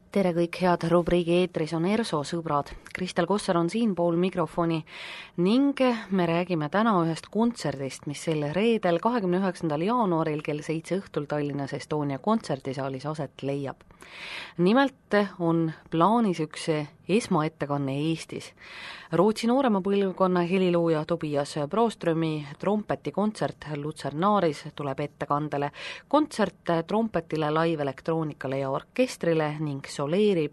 Tere kõik head rubriigi eetris on ERSO sõbrad. Kristel Kosser on siinpool mikrofoni ning me räägime täna ühest kontserdist, mis sel reedel 29. jaanuaril kell 7 õhtul Tallinnas Estonia kontserdisaalis aset leiab. Nimelt on plaanis üks esmaettekanne Eestis. Rootsi noorema põlvkonna helilooja Tobias Broströmi trompetikontsert Lutsernaris tuleb ettekandele. Kontsert trompetile, live-elektroonikale ja orkestrile ning soleerib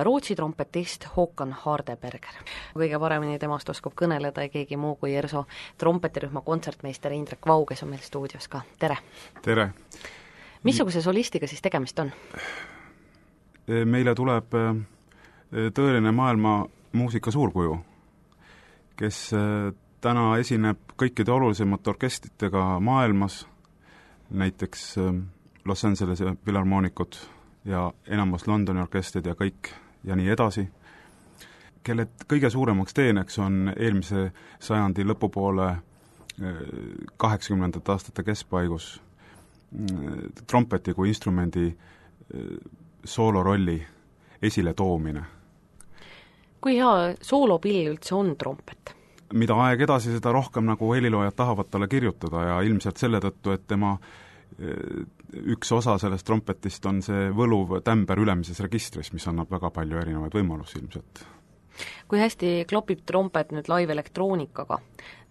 Rootsi trompetist Håkan Hardeberger. Kõige paremini temast oskab kõneleda keegi muu kui ERSO trompetirühma kontsertmeister Indrek Vau, kes on meil stuudios ka. Tere! Tere! Missuguse solistiga siis tegemist on? Meile tuleb tõeline maailma muusika suurkuju, kes täna esineb kõikide olulisemate orkestritega maailmas, näiteks Los Angelese filharmoonikud ja enamus Londoni orkestrid ja kõik ja nii edasi, kelle kõige suuremaks teeneks on eelmise sajandi lõpupoole 80. aastate keskpaigus trompeti kui instrumendi soolorolli esile toomine. Kui hea soolopill üldse on trompet? Mida aeg edasi, seda rohkem nagu heliloojad tahavad talle kirjutada ja ilmselt selle tõttu, et tema üks osa sellest trompetist on see võluv tämber ülemises registris, mis annab väga palju erinevaid võimalusi ilmselt. Kui hästi klopib trompet nüüd live-elektroonikaga?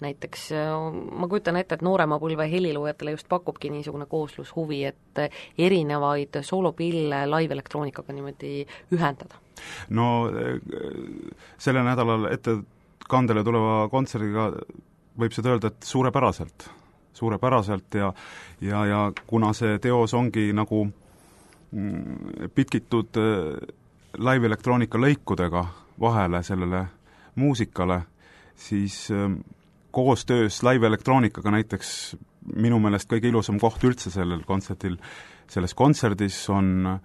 Näiteks ma kujutan ette, et noorema põlve heliloojatele just pakubki niisugune kooslushuvi, et erinevaid soolopille live-elektroonikaga niimoodi ühendada. No selle nädalal ettekandele tuleva kontserdiga võib seda öelda, et suurepäraselt ja kuna see teos ongi nagu pitkitud live-elektroonika lõikudega vahele sellele muusikale, siis koostöös live-elektroonikaga näiteks minu meelest kõige ilusam koht üldse selles kontserdis on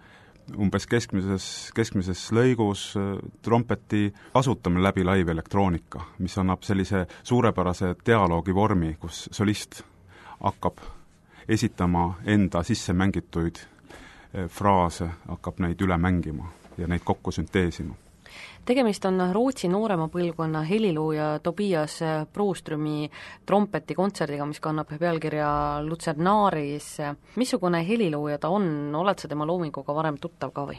umbes keskmises lõigus trompeti kasutamine läbi live-elektroonika, mis annab sellise suurepärase dialoogi vormi, kus solist hakkab esitama enda sisse mängituid fraase, hakkab neid üle mängima ja neid kokku sünteesima. Tegemist on Rootsi noorema põlvkonna helilooja Tobias Broströmi trompetikontserdiga, mis kannab pealkirja Lutsernaris. Missugune helilooja ta on? Oled sa tema loominguga varem tuttav ka või?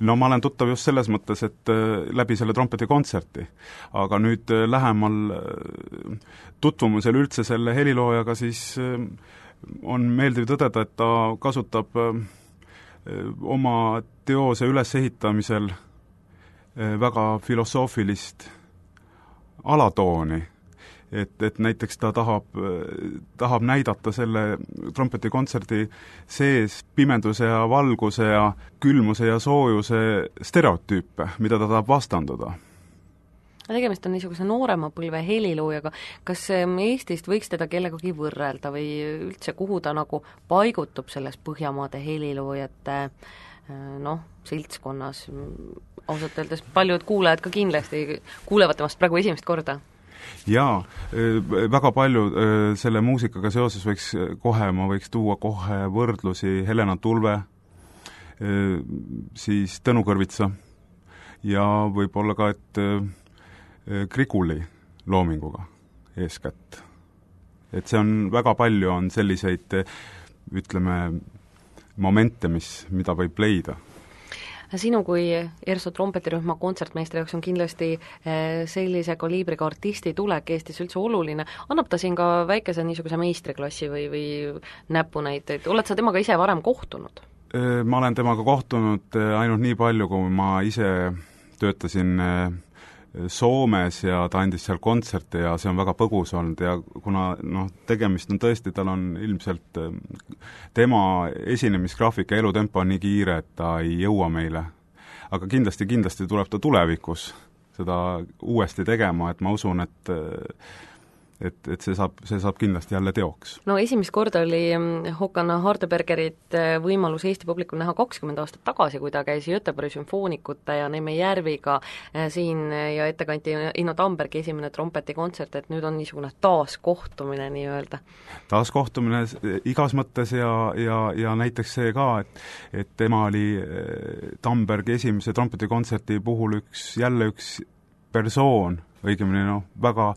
No ma olen tuttav just selles mõttes, et läbi selle trompetikontserti, aga nüüd lähemal tutvumusel üldse selle heliloojaga siis on meeldiv tõdeda, et ta kasutab oma teose ülesehitamisel väga filosoofilist alatooni, et näiteks ta tahab näidata selle trompetikontserdi sees pimeduse ja valguse ja külmuse ja soojuse stereotüüpe, mida ta tahab vastanduda. Tegemist on niisuguse noorema põlve heliloojaga. Kas Eestist võiks teda kellegagi võrrelda või üldse kuhu ta nagu paigutub selles Põhjamaade heliloojate seltskonnas? Ausalt öeldes paljud kuulajad ka kindlasti kuulevad temast praegu esimest korda. Jaa, väga palju selle muusikaga seoses ma võiks tuua kohe võrdlusi Helena Tulve, siis Tõnu Kõrvitsa ja võib-olla ka, et Griguli loominguga eeskätt. Et see on väga palju on selliseid, ütleme, momente, mida võib leida. Sinu kui ERSO trompetirühma kontsertmeistri jaoks on kindlasti sellise kaliibriga artisti tulek Eestis üldse oluline. Annab ta siin ka väikese niisuguse meistriklassi või näpunäiteid? Oled sa temaga ise varem kohtunud? Ma olen temaga kohtunud ainult nii palju, kui ma ise töötasin Soomes ja ta andis seal kontserte ja see on väga põgus olnud ja kuna tegemist on tõesti, tal on ilmselt tema esinemisgraafik ja elutempo on nii kiire, et ta ei jõua meile. Aga kindlasti tuleb ta tulevikus seda uuesti tegema, et ma usun, et see saab kindlasti jälle teoks. No esimest korda oli Håkan Hardebergerit võimalus Eesti publikul näha 20 aastat tagasi, kui ta käis Göteborgi sümfoonikute ja Neeme Järviga siin ja ette kanti Inno Tambergi esimene trompetikontsert, et nüüd on niisugune taaskohtumine nii-öelda. Taaskohtumine igas mõttes ja näiteks see ka, et tema oli Tambergi esimese trompetikontserti puhul jälle üks persoon, õigemini väga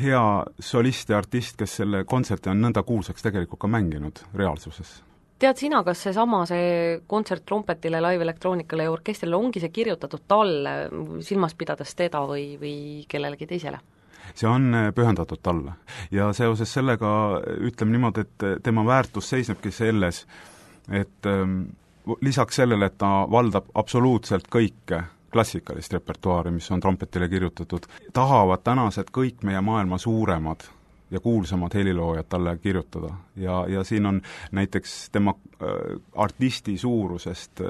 hea solist ja artist, kes selle kontserti on nõnda kuulsaks tegelikult ka mänginud reaalsuses. Tead sina, kas see kontsert trompetile, live-elektroonikale ja orkestrile ongi see kirjutatud talle, silmas pidades teda või kellelegi teisele? See on pühendatud talle ja seoses sellega ütleme niimoodi, et tema väärtus seisnebki selles, et lisaks sellele, et ta valdab absoluutselt kõike klassikalist repertuaari, mis on trompetile kirjutatud, tahavad tänased kõik meie maailma suuremad ja kuulsamad heliloojad talle kirjutada. Ja siin on näiteks tema artisti suurusest,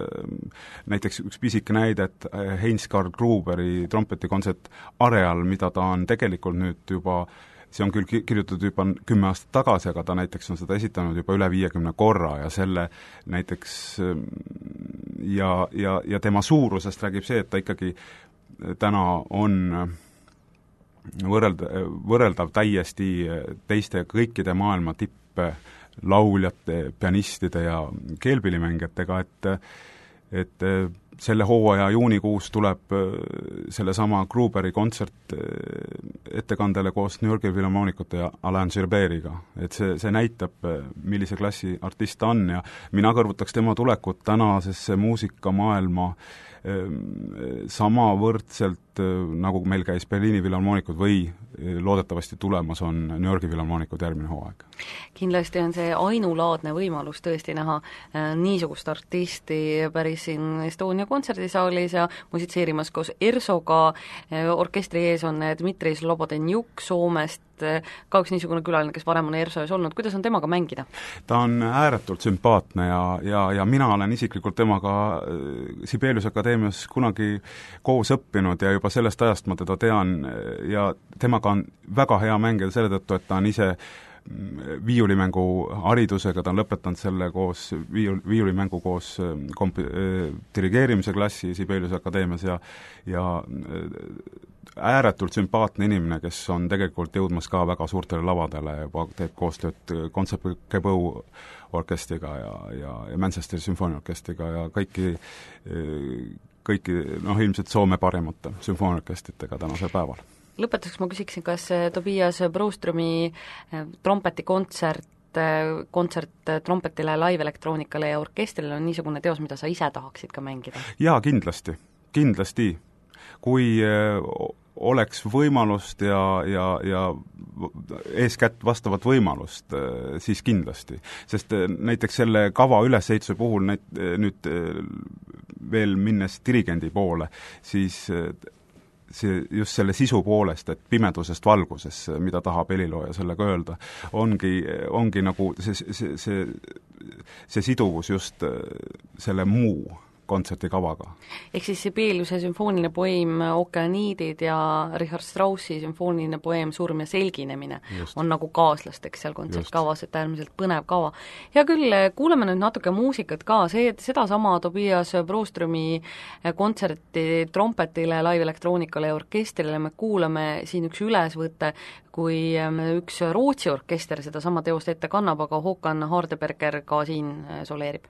näiteks üks pisike näide, et Heinz-Karl Gruberi trompetikontsert Areal, mida ta on tegelikult nüüd juba, see on küll kirjutatud juba 10 aastat tagasi, aga ta näiteks on seda esitanud juba üle 50 korra ja selle näiteks ja tema suurusest räägib see, et ta ikkagi täna on võrreldav täiesti teiste kõikide maailma tipplauljate, pianistide ja keelpillimängijatega, et selle hooaja juunikuus tuleb sellesama Gruberi kontsert ettekandele koos New Yorgi Philharmonicute ja Alain Gilbertiga. Et see näitab, millise klassi artist ta on ja mina kõrvutaks tema tulekut tänasesse muusikamaailma sama võrdselt, nagu meil käis Berliini Philharmonikud või loodetavasti tulemas on New Yorgi Philharmonikud järgmine hooaeg. Kindlasti on see ainulaadne võimalus tõesti näha niisugust artisti päris siin Estonia kontserdisaalis ja musitseerimas koos Ersoga, orkestri ees on Dmitri Slobodenjuk Soomest, ka üks niisugune külaline, kes varem on Erso ees olnud, kuidas on temaga mängida? Ta on ääretult sümpaatne ja mina olen isiklikult temaga Sibelius Akadeemias kunagi koos õppinud ja juba sellest ajast ma teda tean ja temaga on väga hea mängida selle tõttu, et ta on ise viiulimängu haridusega, ta on lõpetanud selle koos viiulimängu koos dirigeerimise klassi Sibelius Akadeemias ja ääretult sümpaatne inimene, kes on tegelikult jõudmas ka väga suurtele lavadele, juba teeb koostööd Concertgebouw orkestriga ja Manchesteri sümfooniaorkestriga ja kõiki ilmselt Soome parimate sümfooniaorkestritega tänasel päeval. Lõpetuseks ma küsiksin, kas Tobias Broströmi trompetikontsert trompetile, live-elektroonikale ja orkestrile on niisugune teos, mida sa ise tahaksid ka mängida? Jaa, kindlasti. Kui oleks võimalust ja eeskätt vastavat võimalust, siis kindlasti. Sest näiteks selle kava ülesehituse puhul nüüd veel minnes dirigendi poole, siis see just selle sisu poolest, et pimedusest valguses, mida tahab helilooja sellega öelda, ongi nagu see siduvus just selle muu kontsertikavaga. Ehk siis Sibeliuse sümfooniline poeem Okeaniidid ja Richard Straussi sümfooniline poeem Surm ja selginemine on nagu kaaslasteks seal kontsertkavas, et äärmiselt põnev kava. Ja küll, kuuleme nüüd natuke muusikat ka, sedasama Tobias Broströmi kontserti trompetile, live-elektroonikale ja orkestrile me kuulame siin üks ülesvõte, kui üks Rootsi orkester sedasama teost ette kannab, aga Håkan Hardeberger ka siin soleerib.